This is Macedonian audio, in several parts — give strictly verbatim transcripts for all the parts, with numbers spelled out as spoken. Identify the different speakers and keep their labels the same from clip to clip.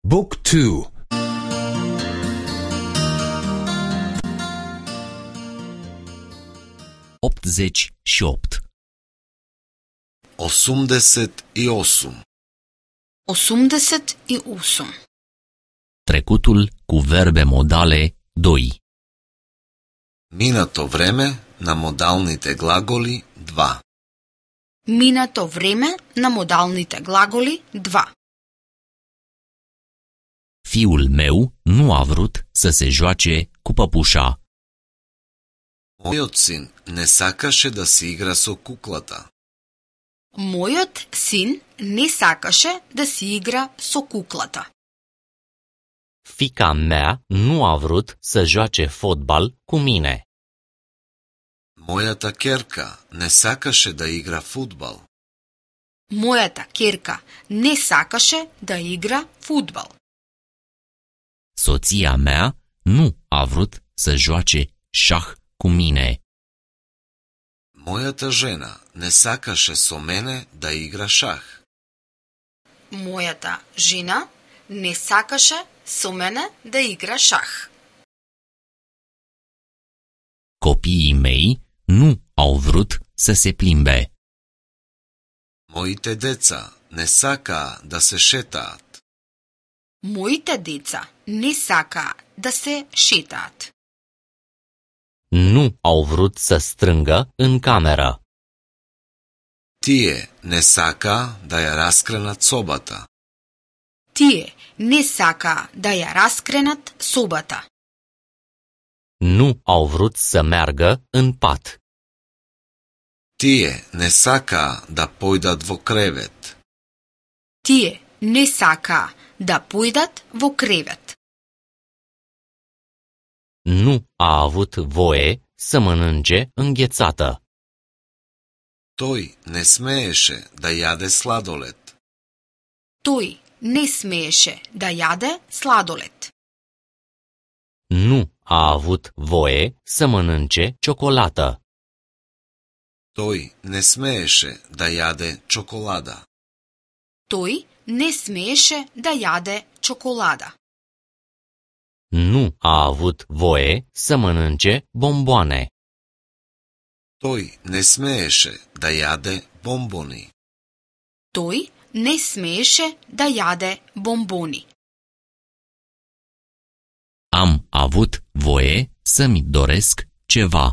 Speaker 1: Book two.
Speaker 2: optzeci și opt.
Speaker 3: осумдесет и осум.
Speaker 4: осумдесет и осум.
Speaker 2: Trecutul cu verbe modale doi.
Speaker 3: Минато време на модалните глаголи два.
Speaker 4: Минато време на модалните глаголи два.
Speaker 2: Fiul meu nu a vrut să se joace cu păpușa.
Speaker 3: Мојот син не сакаше да се игра со куклата.
Speaker 4: Мојот син не сакаше да си игра со куклата.
Speaker 2: Fica mea nu a vrut să joace fotbal cu mine.
Speaker 3: Мојата ќерка не сакаше да игра фудбал.
Speaker 4: Мојата ќерка не сакаше да игра фудбал.
Speaker 2: Soția mea nu a vrut să joace șah cu mine.
Speaker 3: Мојата жена не сакаше со мене да игра шах.
Speaker 4: Мојата жена не сакаше со мене да игра шах.
Speaker 2: Copiii mei nu au vrut să se plimbe.
Speaker 3: Моите деца не сакаа да се шетаат.
Speaker 4: Моите деца не сакаа да се шетаат.
Speaker 2: Nu au vrut să strângă în cameră.
Speaker 3: Тие не сакаа да ја раскренат собата.
Speaker 4: Тие не сакаа да ја раскренат собата.
Speaker 2: Nu au vrut să meargă în pat.
Speaker 3: Тие не сакаа да појдат во кревет.
Speaker 4: Тие не сакаа да појдат во кревет.
Speaker 2: Nu a avut voie să mănânce înghețată.
Speaker 3: Тој не смееше да јаде сладолед.
Speaker 4: Тој не смееше да јаде сладолед.
Speaker 2: Nu a avut voie să mănânce ciocolată.
Speaker 3: Тој не смееше да јаде чоколада.
Speaker 4: Тој не смееше да јаде чоколада.
Speaker 2: Nu a avut voie să mănânce bomboane.
Speaker 3: Тој не смееше да јаде бомбони.
Speaker 4: Тој не смееше да јаде бомбони.
Speaker 2: Am avut voie să-mi doresc ceva.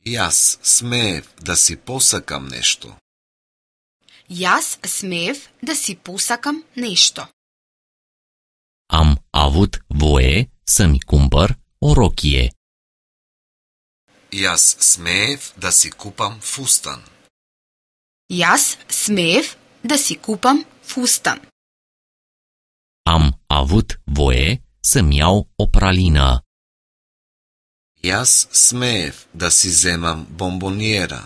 Speaker 3: Јас смеев да си посакам нешто.
Speaker 4: Јас смеев да си посакам нешто.
Speaker 2: Am avut voie să-mi cumpăr o rochie.
Speaker 3: Јас смеев да си купам фустан.
Speaker 4: Јас смеев да си купам фустан.
Speaker 2: Am avut voie să-mi iau o pralină.
Speaker 3: Јас смеев да си земам бомбониера.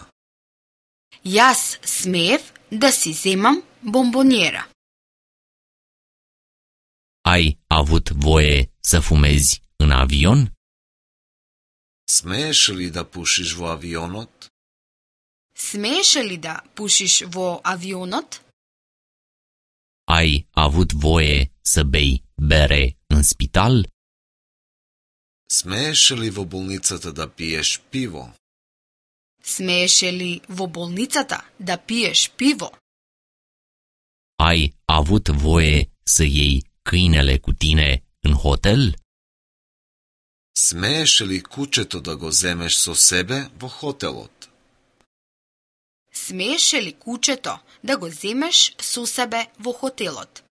Speaker 4: Јас смеев да си земам бомбониера.
Speaker 2: Ai avut voie să fumezi în avion?
Speaker 3: Смееше ли да пушиш во авионот?
Speaker 4: Смееше ли да пушиш во авионот?
Speaker 2: Ai avut voie să bei bere în spital?
Speaker 3: Смееше ли во болницата да пиеш пиво?
Speaker 4: Смееше ли во болницата да пиеш пиво?
Speaker 2: Ai avut voie să iei câinele cu tine în hotel?
Speaker 3: Смееше ли кучето да го земеш со себе во хотелот?
Speaker 4: Смееше ли кучето да го земеш со себе во хотелот?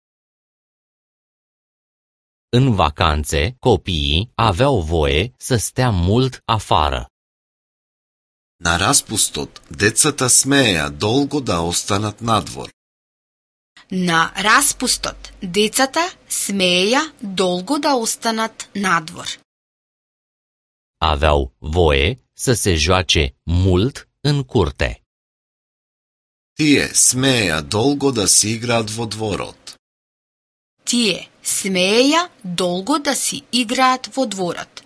Speaker 2: În vacanțe, copiii aveau voie să stea mult afară.
Speaker 3: На распустот, децата смееа долго да останат надвор.
Speaker 4: На распустот, децата смееја долго да останат надвор.
Speaker 2: Aveau voie să se joace mult în curte.
Speaker 3: Тие смееа долго да си играат во дворот.
Speaker 4: Тие смееја долго да си играат во дворот.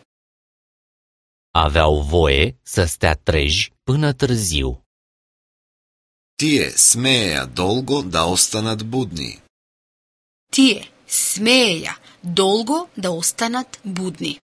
Speaker 2: Aveau voie să stea treji până târziu.
Speaker 3: Тие смееа долго да останат будни.
Speaker 4: Тие смееја долго да останат будни.